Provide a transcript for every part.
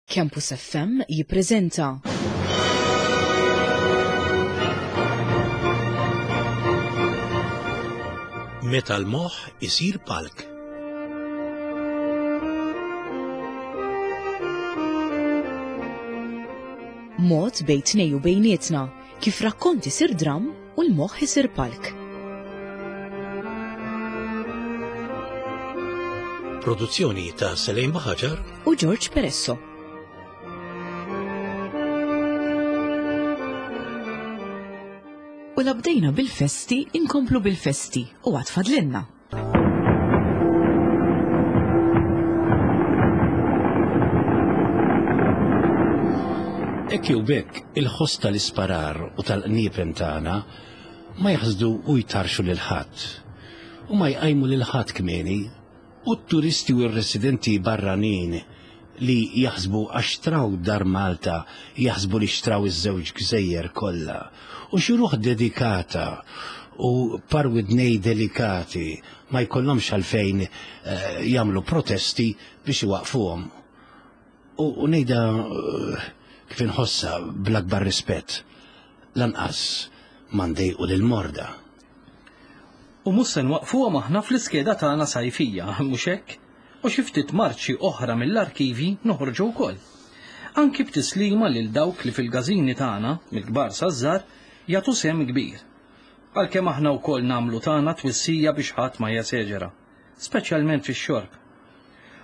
Campus FM jippreżenta. Meta l-moħħ isir palk. Mod bejn tnej u bejnietna kif rakkont isir dramm u l-moħħ isir palk. Produzzjoni ta' Selejn Baħaġar u George Peresso. U la bdejna bil-festi, inkomplu bil-festi u għad fadlinna. Hekk jew b'hekk, il-ħoss tal-isparar u tal-qniepen tagħna ma jaħsdu u jtarxu lil ħadd. U ma jqajmu lil ħadd kmieni. U t-turisti u r-residenti barranin li jaħsbu għax xtraw dar Malta jaħsbu li xtraw iż-żewġ gżejjer kollha. U xi ruħ dedikata u par widnej delikati ma jkollhomx għalfejn eh, jagħmlu protesti biex iwaqfuhom. U ngħidha eh, kif inħossha bl-akbar rispett, lanqas ma ndejqu lill-morda. U mhux se nwaqqfuhom aħna fl-iskeda tagħna sajfija, mhux hekk? U xi ftit marċi oħra mill-arkivji noħorġu wkoll. Anki b'tislima lil dawk li fil-gażini tagħna, mill-kbar saż-żgħar, jagħtu sehem kbir. Għalkemm aħna wkoll nagħmlu tagħna twissija biex ħadd ma jeseġera. speċjalment fix-xorb.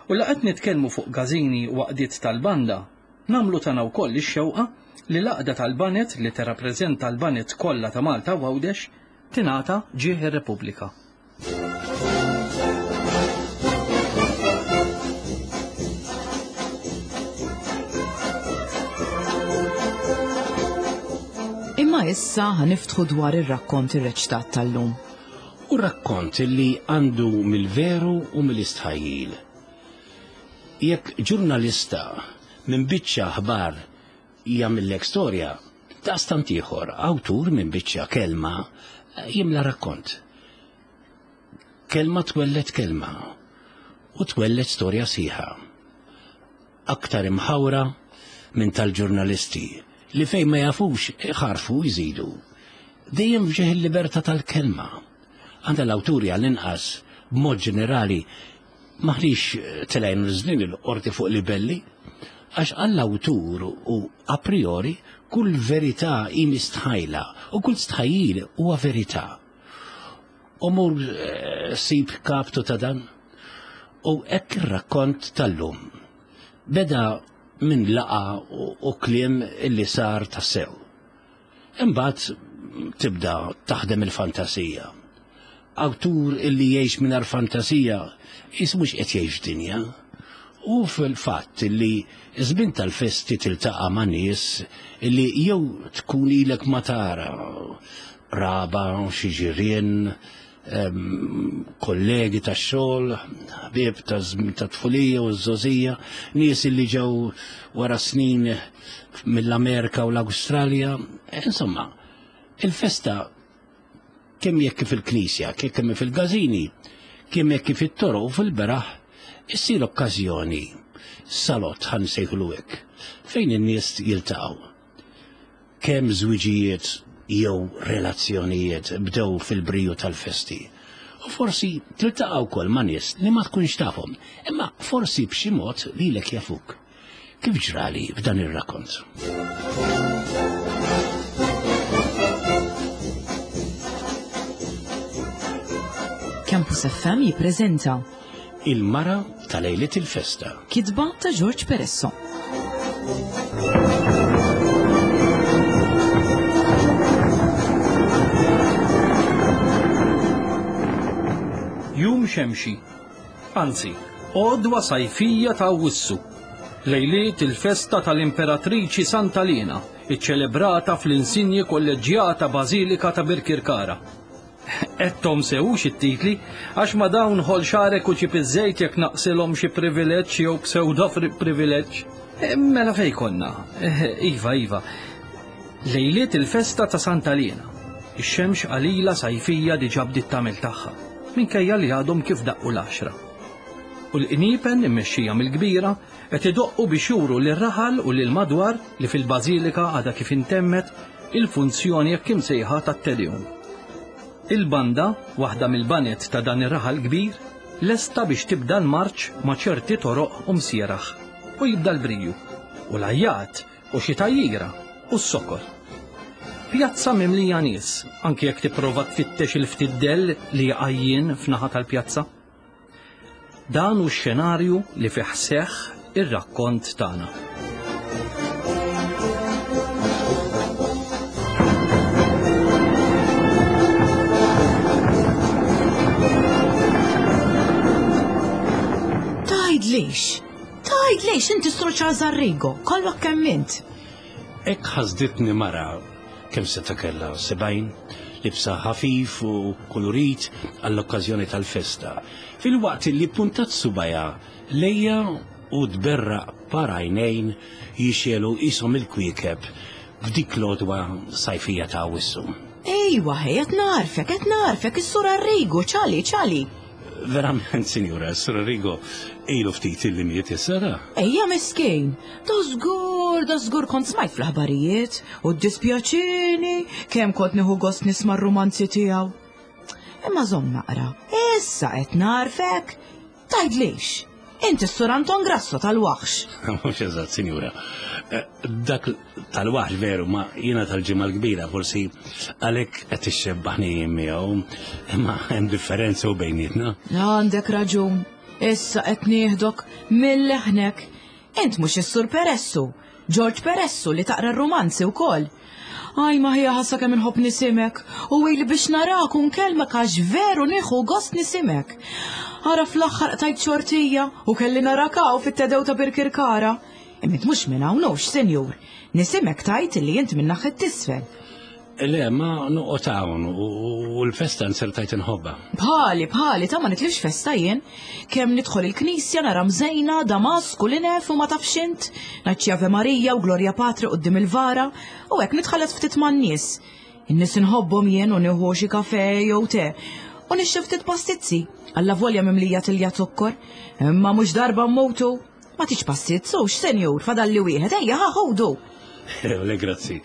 U la qed nitkellmu fuq gażini u għaqdiet tal-banda, nagħmlu tagħna wkoll ix-xewqa li l-għaqda tal-baned li tirrappreżenta l-baned kollha ta' Malta u Għawdex tingħata Ġieħ ir-Repubblika. Imma issa ħa niftħu dwar ir-rakkont irreċtat tal-lum. U rakkont li għandu mill-veru u mill-istħajjil. Jekk ġurnalista minn biċċa aħbar jagħmillek storja, daqstant ieħor awtur minn biċċa kelma jimla rakkont. Kelma twelled kelma u twelled storja sħiħa. Aktar imħawra minn tal-ġurnalisti li fejn ma jafux iħarfu u jżidu. Dejjem f'ġieħ il-libertà tal-kelma. Għandha l-awturi għall-inqas b'mod ġenerali m'aħniex telgħin u niżlin il-qorti fuq libelli, għax għall-awtur u a priori kull verità hi mistħajla u kull stħajjil huwa verità. U mur eh, sib kaptu ta' dan. U hekk ir-rakkont tal-lum. Beda minn laqa u kliem illi sar tassew. Imbagħad tibda taħdem il-fantasija. Awtur illi jgħix mingħajr fantasija jis mhux qed jgħix dinja. U fil-fatt illi żmien tal-festi tiltaqa' ma' nies illi jew tkun ilek ma tara qraba, xi ġirien, kollegi tax-xogħol, ħbieb ta' tfulija u ż-żgħożija, nies illi ġew wara snin mill-Amerika u l-Awstralja. Insomma, il-festa kemm jekk fil-knisja, kemm fil-gażini, kemm jekk fit-toroq u fil-beraħ, issir okkażjoni salott ħa nsejħulu hekk, fejn in-nies jiltaqgħu. Kemm żwiġijiet jew relazzjonijiet bdew fil-briju tal-festi. U forsi tiltaqa' wkoll ma' nies li ma tkunx tafhom, imma forsi b'xi mod lilek jafuk. Kif ġrali f'dan ir-rakkont. Campus FM jippreżenta Il-mara ta' lejliet il-festa. Kitba ta' George Peresso. Jum xemxi. Anzi, għodwa sajfija ta' Awwissu. Lejliet il-festa tal-Imperatriċi Santa Liena, iċċelebrata fl-insinji Kolleġġjata Bażilika ta' Birkirkara. Għedthom sew hux it-titli, għax ma' dawn ħoll xagħrek u ġib iż-żejt jekk naqsilhom xi privileġġ jew psewdo privileġġ. Mela fejn konna? Iva, iva. Lejliet il-festa ta' Santa Liena. Ix-xemx qalila sajfija diġà bdiet tagħmel tagħha, minkejja li għadhom kif daqqu l-għaxra. U l-qniepen immexxija mill-kbira qed idoqqu biex juru lir-raħal u lill-madwar li fil-bażilika għadha kif intemmet il-funzjoni hekk imsejħa tat-Te Deum. Il-banda, waħda mill-baned ta' dan ir-raħal kbir, lesta biex tibda l-marċ ma' ċerti toroq u msieraħ. U jibda l-briju. U l-għajjat, u xi tgħajjira, u s-sokor. Pjazza mimlija nies, anki jekk tipprova tfittex il-ftit dell li għajjien f'naħa tal-pjazza. Dan hu x-xenarju li fih seħħ ir-rakkont tagħna. Tgħidlix! Tgħidlix inti Sur Charles Arrigo, kollok kemm int. Hekk ħasditni mara kemm seta' kellha 70, libsa ħafif u kulurit għall-okkażjoni tal-festa, filwaqt li ppuntat subgħajha lejja u tberraq par għajnejn jixegħlu qishom il-kwiekeb f'dik l-għodwa sajfija ta' Awwissu. Ejwa ħej, qed nagħrfek, qed nagħrfek, is-Sur Arrigo, ċali, ċali. Verament, sinjura, s-Sur Arrigo ilu ftit illi miet issa da. Ejja miskin, da żgur, da żgur kont smajt fl-aħbarijiet u ddispjaċini kemm kont nieħu gost nisma' r-rumanzi tiegħu. Imma żomm naqra, issa qed nagħrfek. Tgħidlix, inti s-Sur Anton Grasso tal-Waħx. Mhux eżatt, sinjura. Eh, dak tal-waħx veru, ma jiena tal-ġimgħa l-kbira forsi għalhekk qed ixxebbaħni miegħu, imma hemm differenza u bejnietna. Għandek raġun, issa qed nieħdok mill-leħnek. Int mhux is-Sur Peressu, Ġorġ Peressu li taqra r-rumanzi wkoll. Aj ma ħija ħassa kemm inħobb nisimek u ili biex narak u nkellmek għax veru nieħu gost nisimek. Ara fl-aħħar qtajt xortija u kelli narak hawn fit-Tedew ta' Birkirkara. Imma int mhux minn hawn hux, sinjur. Nisimek tgħid illi int minn naħħet t'isfel. Le, ma noqgħod hawn u l-festa nsertajt inħobbha. Bħali, bħali, ta' ma nitlifx festa jien. Kemm nidħol il-knisja nara mżejna, damask u linef u ma tafx int. Ngħid xi Ave Marija u Glorja Patri quddiem il-vara u hekk nitħallat ftit man-nies. In-nies inħobbhom jien u nieħu xi kafe jew te. U nixtri ftit pastizzi, allavolja mimlija tilja zokkor. Imma mhux darba mmutu. Ma tix pastizz, hux, senjur, fadalli wieħed, ejja ħa ħudu. Le, grazzi.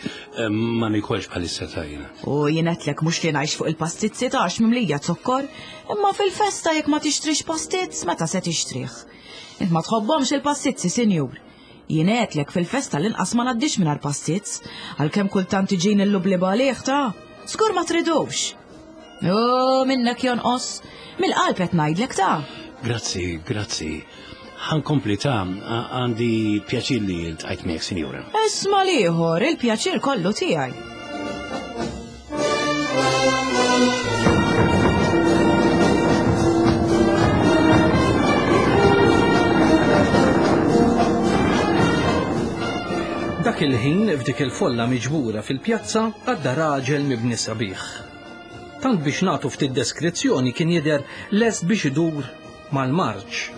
Ma nikolx bħalissa ta' jiena. U jien għedtlek mhux li ngħix fuq il-pastizzi ta' għax mimlija zokkor, imma fil-festa jekk ma tixtrix pastizz, meta se tixtrih? Int ma tħobbhomx il-pastizzi, sinjur. Jien għedtlek fil-festa l-inqas ma ngħaddix mingħajr pastizz, għalkemm kultant iġini l-lubliba għalih ta' żgur ma tridux. U minnek jonqos, mill-qalb qed ngħidlek ta'. Grazzi, grazzi. Ħankompli ta' għandi pjaċir li ltqajt miegħek, sinjura. Isma' l-ieħor, il-pjaċir kollu tiegħi. Dak il-ħin f'dik il-folla miġbura fil-pjazza għadda raġel mibni sabiħ. Tant biex nagħtu ftit deskrizzjoni kien jidher lest biex idur mal-marċ.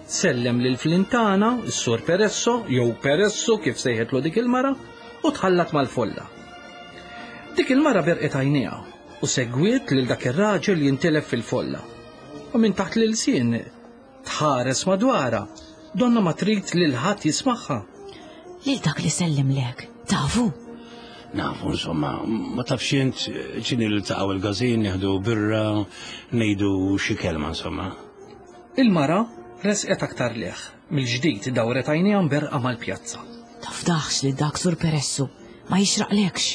Sellem lil Flintana, is-Sur Peresso, jew Peresso kif sejħetlu dik il-mara, u tħallat mal-folla. Dik il-mara berqet għajnejha u segwiet lil dak ir-raġel jintilef fil-folla. U minn taħt l-ilsien tħares madwarha, donna ma trid lil ħadd jismagħha. Lil dak li sellimlek, tafu? Nafu, insomma, ma tafx int ċini li taqgħu il-gazin, nieħdu birra, ngħidu xi kelma, insomma. Il-mara resqet aktar leħ, mill-ġdid dawret għajnejha mberqa mal-pjazza. Tafdaħx li dak sur Peressu, ma jixraqlekx.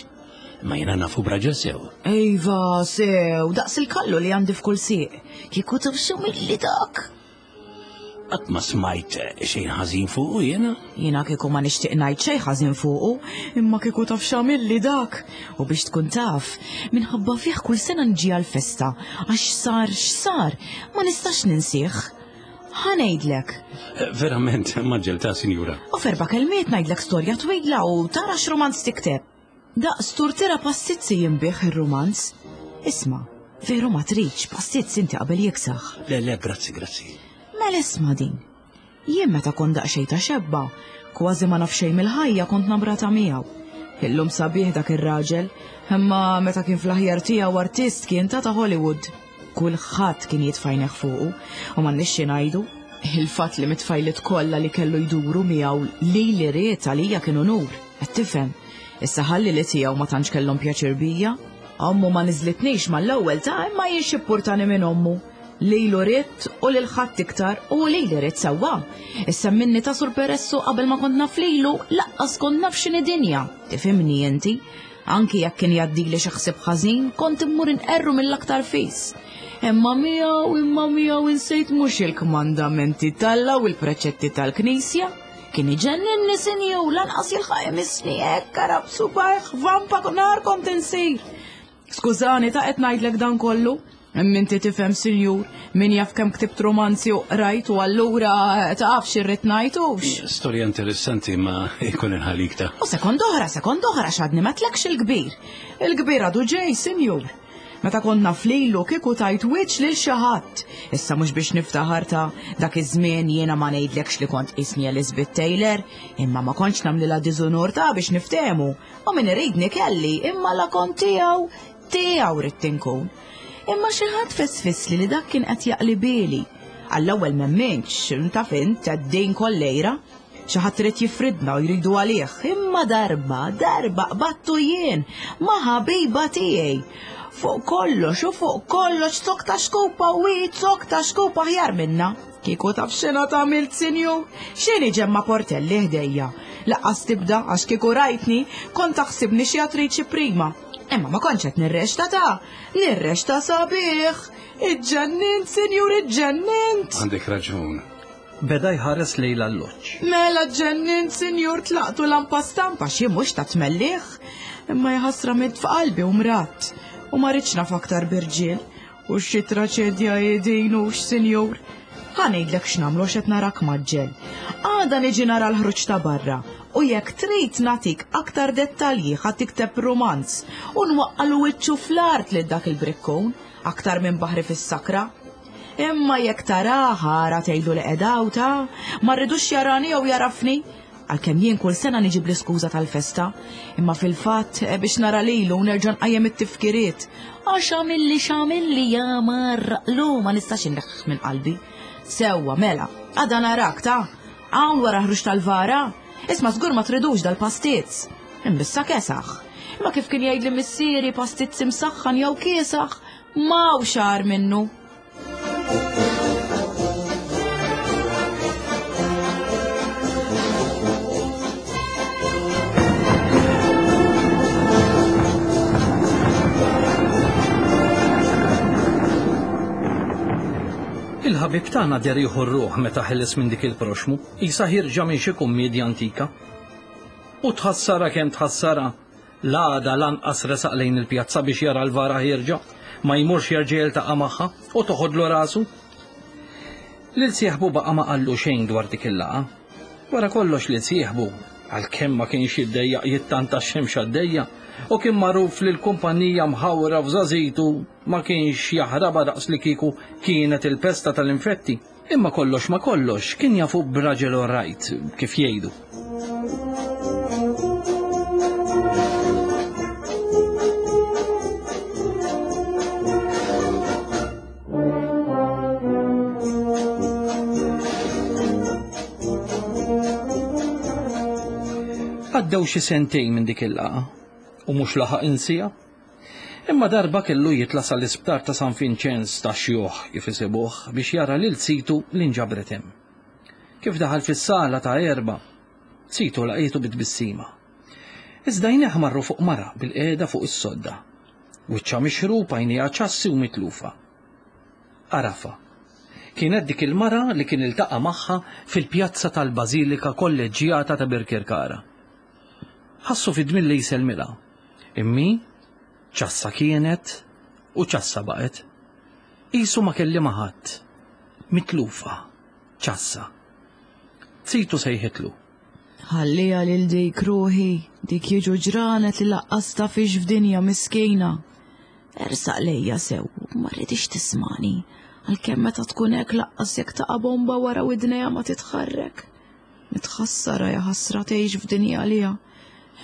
Ma jiena nafu braġel sew. Iva, sew, daqs il-kallu li għandi f'kull sieq. Kieku taf xi milli dak. Qatt ma smajt xejn ħażin fuqu jiena. Jiena kieku ma nixtieq ngħid xejn ħażin fuqu, imma kieku taf x'għamilli dak. U biex tkun taf, minħabba fih kull sena nġi għall-festa, għax sar x'sar, ma nistax ninsih. Ħa ngħidlek. Eh, verament, maġġel ta' sinjura. U f'erba' kelmiet ngħidlek storja twila u tara x'rumanz tikteb. Daqs turtira pastizzi jinbigħ ir-rumanz. Isma', veru ma tridx pastizz inti qabel jiksaħ. Le, le, grazzi, grazzi. Mela isma' din. Jien meta kont daqsxejn ta' xebba, kważi ma naf xejn mill-ħajja kont namrata miegħu. Illum sabiħ dak ir-raġel, imma meta kien fl-aħjar tiegħu artist kien ta' ta' Hollywood. Kulħadd kien jitfajneħ fuqu u m'għandniex xi ngħidu. Il-fatt li mit-tfajliet kollha li kellu jduru miegħu lili ried għalija kien unur, qed tifhem. Issa ħalli li tiegħu ma tantx kellhom pjaċir bija. Ommu ma niżlitnix mal-ewwel ta' imma jien x'ippurtani minn ommu. Lilu ridt u lil ħadd iktar u lili ridt sewwa. Issa minni ta' Sur Peressu qabel ma kont naf lilu, laqqas kont naf x'inhi dinja. Tifhimni inti? Anki jekk kien jgħaddili xi ħsieb ħażin, kont immur inqerru mill-aktar fis. Imma miegħu, imma miegħu insejt mhux il-kmandamenti t'Alla u l-preċetti tal-Knisja. Kien iġenninni sinju, lanqas jilħaq imissni hekk arab subajh vampa nar kont insir. Skużani ta' qed ngħidlek dan kollu. Imma inti tifhem sinjur, min jaf kemm ktibt romanzi u qrajt u allura taf x'irrid ngħid hux. Storja interessanti ma jkun inħalik ta'. U sekond oħra, sekond oħra x'għadni ma tlekx il-kbir. Il-kbir għadu ġej, sinjur. Meta kont naf lilu kieku tajt wiċċ lil xi ħadd. Issa mhux biex niftaħar ta' dak iż-żmien jiena ma ngħidlekx li kont qisni Elizabeth Taylor, imma ma kontx nagħmlilha diżunur ta' biex niftehmu. U min iridni kelli, imma la kont tiegħu, tiegħu ridt inkun. Imma xi ħadd fesfisli li dak kien qed jaqli bili. Għall-ewwel m'emminx, taf int, din kollejra. Xi ħadd irid jifridna u jridu għalih, imma darba, darba qbattu jien ma' ħabiba tiegħi. Fuq kollox u fuq kollox zokk ta' xkupa u hi zokk ta' xkupa aħjar minna. Kieku taf x'inha tagħmilt, sinjur? X'inhi Ġemma Portelli ħdejja? Laqqas tibda għax kieku rajtni kont taħsibni xi attriċi prima. Imma ma kontx qed nirrexta ta' nirrexta sabiħ. Iġġennint, sinjur, iġġennint. Għandek raġun. Beda jħares lejn l-alloġġ. Mela ġġennint, sinjur, tlaqtu lampa stampa xi mhux ta' tmelliħ. Imma jħassra mitt f'qalbi u mradt. U ma rridx naf aktar b'irġiel. U xi traċedja hi din hux, sinjur? Ħa ngħidlek x'nagħmlu għax qed narak mgħaġġel. Għada niġi nara l-ħruġ ta' barra u jekk trid nagħtik aktar dettalji ħa tikteb rumanz u nwaqqalu wiċċu fl-art lil dak il-brikkun, aktar minn baħri fis-sakra. Imma jekk tarah ara tgħidlu li qed hawn ta, ma rridux jarani jew jarafni. Għalkemm jien kull sena niġi bl-iskuża tal-festa, imma fil-fatt eh, biex nara lilu u nerġa' nqajjem it-tifkiriet. Għax għamilli x'għamilli ja marraqlu ma nistax inneħħ minn qalbi. Sewwa mela, għada narak ta' hawn wara ħruġ tal-vara. Isma' żgur ma tridux dal-pastizz. Imbissa kesaħ. Imma kif kien jgħidli missieri pastizz imsaħħan jew kiesaħ, ma xar minnu. Il-ħabib tagħna der jieħu r-ruħ meta ħeles minn dik il-proxmu, qisha ħierġa minn xi kummiedja antika. U tħassarha kemm tħassarha, L-għada lanqas resaq lejn il-pjazza biex jara l-vara ħierġa, ma jmurx jerġa' jiltaqa' magħha u toħodlu rasu. Lil sieħbu baqa' ma qallu xejn dwar dik il-laqgħa. Wara kollox lil sieħbu, għalkemm ma kienx jiddejjaq jittanta x-xemx għaddejja u kien magħruf li l-kumpanija mħawra f'żgħażitu ma kienx jaħrabha daqs li kieku kienet il-pesta tal-infetti. Imma kollox ma kollox kien jafu b'raġel orrajt, kif jgħidu. Għaddew xi sentejn minn dik il-laqgħa u mhux laħaq insija. Imma darba kellu jitla' sal-isptar ta' San Vinċenz tax-Xjuħ, kif isibuh, biex jara lil zitu li nġabret hemm. Kif daħal fis-sala ta' Erba', zitu laqietu bi tbissima. Iżda għajnejh marru fuq mara bilqiegħda fuq is-sodda. Wiċċha mixrub, għajnejha ċassi u mitlufa. Għarafha. Kienet dik il-mara li kien iltaqa' magħha fil-pjazza tal-Bażilika Kolleġġjata ta' Birkirkara. Ħassu fid-dmir li jsellmilha. Immi, ċassa kienet u ċassa baqgħet. Qisu ma kellimha ħadd. Mitlufa. Ċassa. Zitu sejħitlu. Ħalliha lil dik ruħi, dik jiġu ġranet li laqqas tafix f'dinja miskina. Ersaq lejja sew, ma rridix tismani, għalkemm meta tkun hekk laqqas jekk taqa' bomba wara widnejha ma titħarrek. Nitħassarha jaħasra tgħix f'dinja għaliha.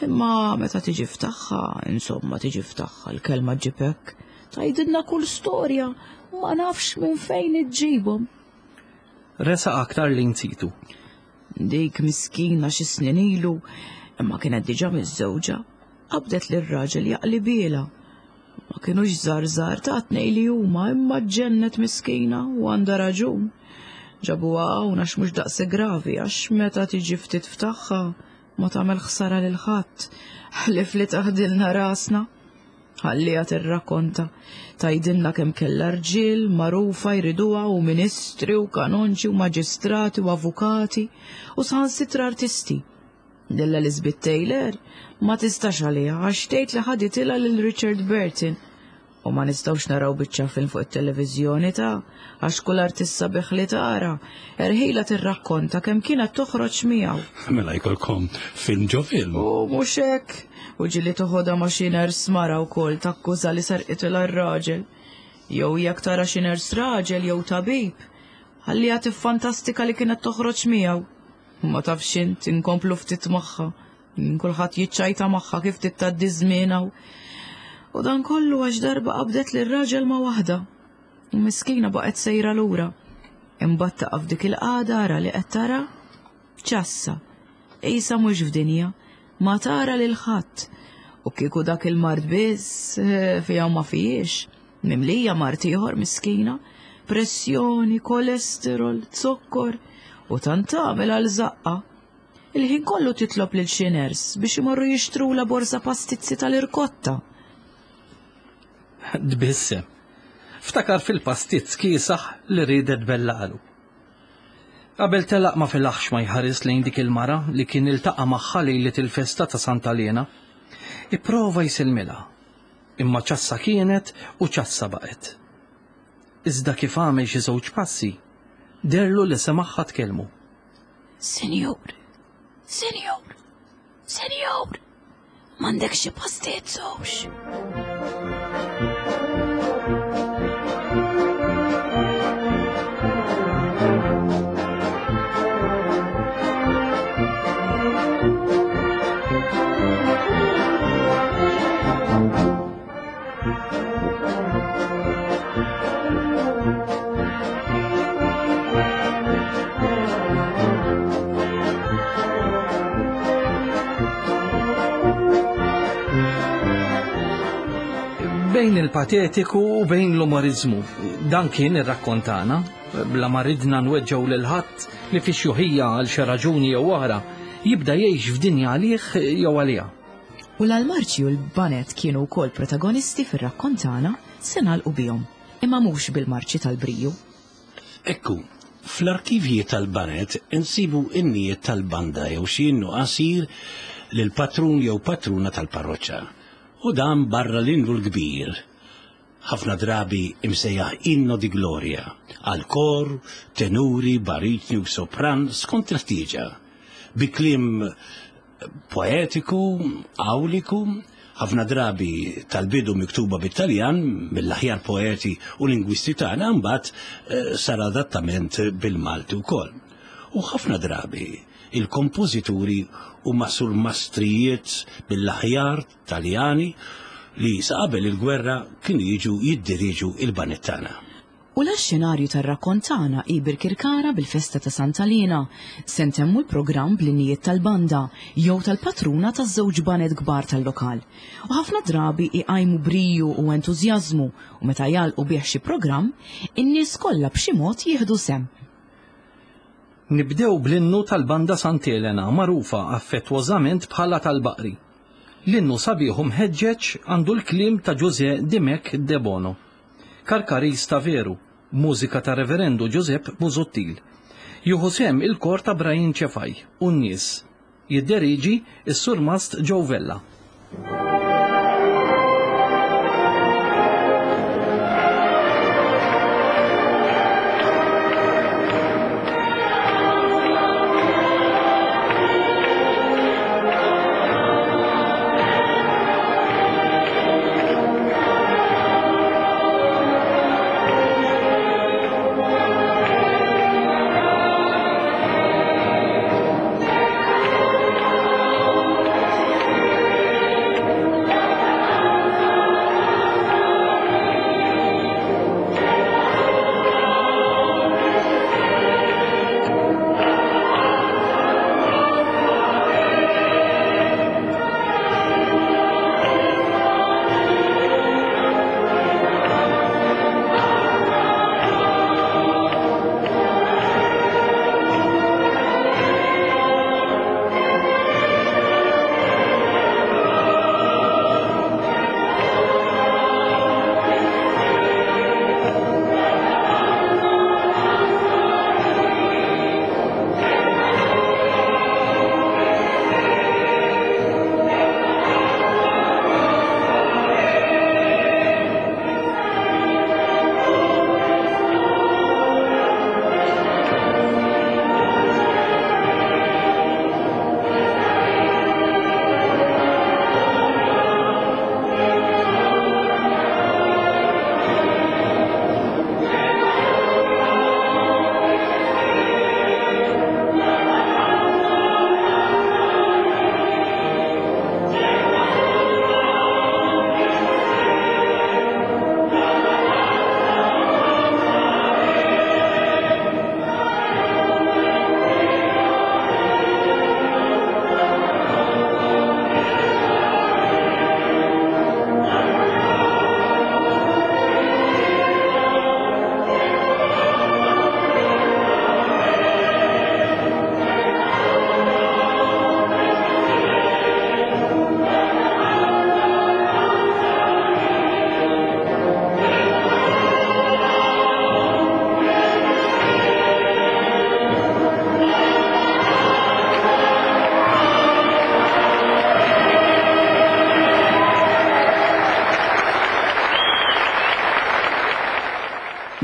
Imma meta tiġi f'tagħha, insomma tiġi f'tagħha l-kelma ġġib hekk. Tgħidilna kull storja, ma nafx minn fejn iġġibhom. Resaq aktar lejn situ. Dik miskina xi snin ilu, imma kienet diġà miżżewġa, qabdet lir-raġel jaqlibielha. Ma kinux żgħar żgħar ta' tnej li huma imma ġġennet miskina u għandha raġun. Ġabuha hawn għax mhux daqshekk gravi għax meta tiġi ftit f'tagħha ma tagħmel ħsara lil ħadd ħlief li taħdilna rasna. Ħalliha tirrakkonta, tgħidilna kemm kellha rġiel magħrufa jriduha u ministri u kanonċi u maġistrati u avukati u saħansitra artisti. Lil Elizabeth Taylor ma tistax għaliha għax tgħid li ħaditilha lil Richard Burton. U ma nistgħux naraw biċċa film fuq it-televiżjoni ta' għax kull artist sabiħ li tara, erħila tirrakkonta kemm kienet toħroġ miegħu. Mela jkollkom film ġo film. U mhux hekk, u ġieli toħodha ma' xi ners mara wkoll takkuża li serqitilha r-raġel. Jew jekk tara xi ners raġel jew tabib, ħalliha tiffantastika li kienet toħroġ miegħu. Ma tafx int inkomplu ftit magħha. Kulħadd jiċċajta magħha kif ftit tgħaddi żmien hawn. U dan kollu għax darba qabdet lil raġel ma' waħda. U miskina baqgħet sejra lura. Imbagħad taqa' f'dik il-qagħda ara li qed tara ċassa. Qisha mhux f'dinja, ma tara lil ħadd. U kieku dak il-mard biss eh, fiha ma fihiex. Mimlija mard ieħor miskina, pressjoni, kolesterol, zokkor u tant tagħmel għal żaqqa. Il-ħin kollu titlob lil xi ners biex imorru jixtrula borża pastizzi tal-irkotta. Tbissem. Ftakar fil-pastizz kiesaħ li riedet bellalu. Qabel telaq ma felaħx ma jħares lejn dik il-mara li kien iltaqa' magħha lejlet il-festa ta' Santa Liena. Ipprova jsilmilha. Imma ċassa kienet u ċassa baqgħet. Iżda kif għamel xi żewġ passi, deherlu li semagħha tkellmu. Sinjur, sinjur, sinjur, m'għandek xi pastiet hux? Bejn il-patetiku u bejn l-umorizmu. Dan kien ir-rakkontana, bla ma ridna nweġġgħu lil ħadd li fi xjuħija għal xi raġuni jew oħra jibda jgħix f'dinja għalih jew għaliha. U la l-marċi u l-baned kienu wkoll protagonisti fir-rakkont tagħna, se nagħlqu bihom, imma mhux bil-marċi tal-briju. Ekku, fl-arkivji tal-baned insibu innijiet tal-banda jew xi innu qasir lill-patrun jew patruna tal-parroċċa. U dan barra l-innu l-kbir, ħafna drabi imsejjaħ Inno di Gloria, għal kor, tenuri, baritni u sopran skont il-ħtieġa, bi kliem poetiku, awliku, ħafna drabi tal-bidu miktuba bit-Taljan mill-aħjar poeti u lingwisti tagħna mbagħad eh, sar adattament bil-Malti wkoll. U ħafna drabi il-kompożituri huma surmastrijiet mill-aħjar Taljani li sa qabel il-gwerra kienu jiġu jiddirieġu il-baned tagħna. U la x-xenarju tar-rakkont tagħna hi Birkirkara bil-festa ta' Santa Liena, se ntemmu l-programm bl-innijiet tal-banda jew tal-patruna taż-żewġ baned kbar tal-lokal. U ħafna drabi iqajmu briju u entużjażmu u meta jagħlqu bih xi programm, in-nies kollha b'xi mod jieħdu sehem. Nibdew bl-innu tal-Banda Sant'Elena magħrufa affettwożament bħala tal-Baqri. L-innu sabiħ u mħeġġeġ għandu l-kliem ta' Ġużè Dimech Debono. Karkariż ta' veru, b'mużika ta' Reverendu Ġużepp Busuttil. Jieħu sehem il-kor ta' Brian Cefai u n-nies. Jidderieġi s-Surmast Joe Vella.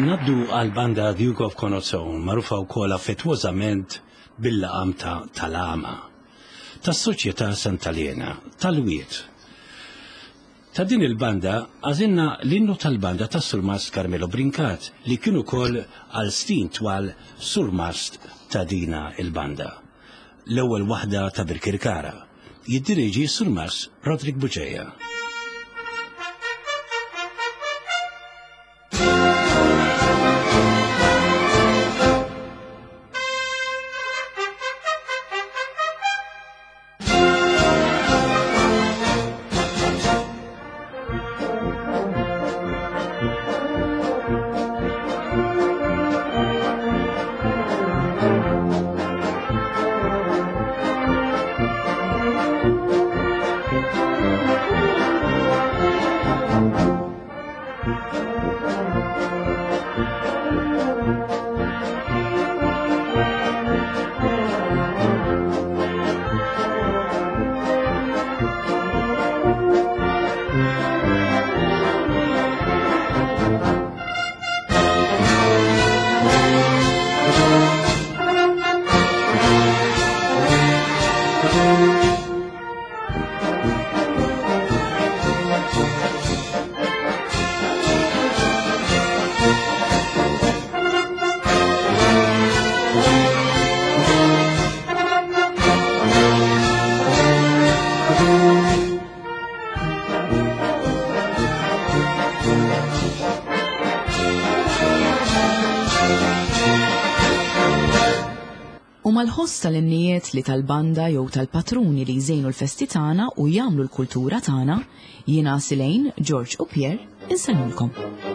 Naddu għal-banda Duke of Connaught, magħrufa wkoll affettwożament bil-laqam ta' Tal-Għama, tas-Soċjetà Santa Liena, tal-Wied. Ta' din il-banda għażilna l-innu tal-banda tas-Surmast Carmelo Brincat li kien ukoll għal snin twal surmast ta' dina il-banda. L-ewwel waħda ta' Birkirkara. Jiddiriġi s-Surmast Roderick Bugeja. U mal-ħoss tal-innijiet li tal-banda jew tal-patruni li jżejnu l-festi tagħna u jagħmlu l-kultura tagħna, jiena Silejn, George u Pierre insellmulkom.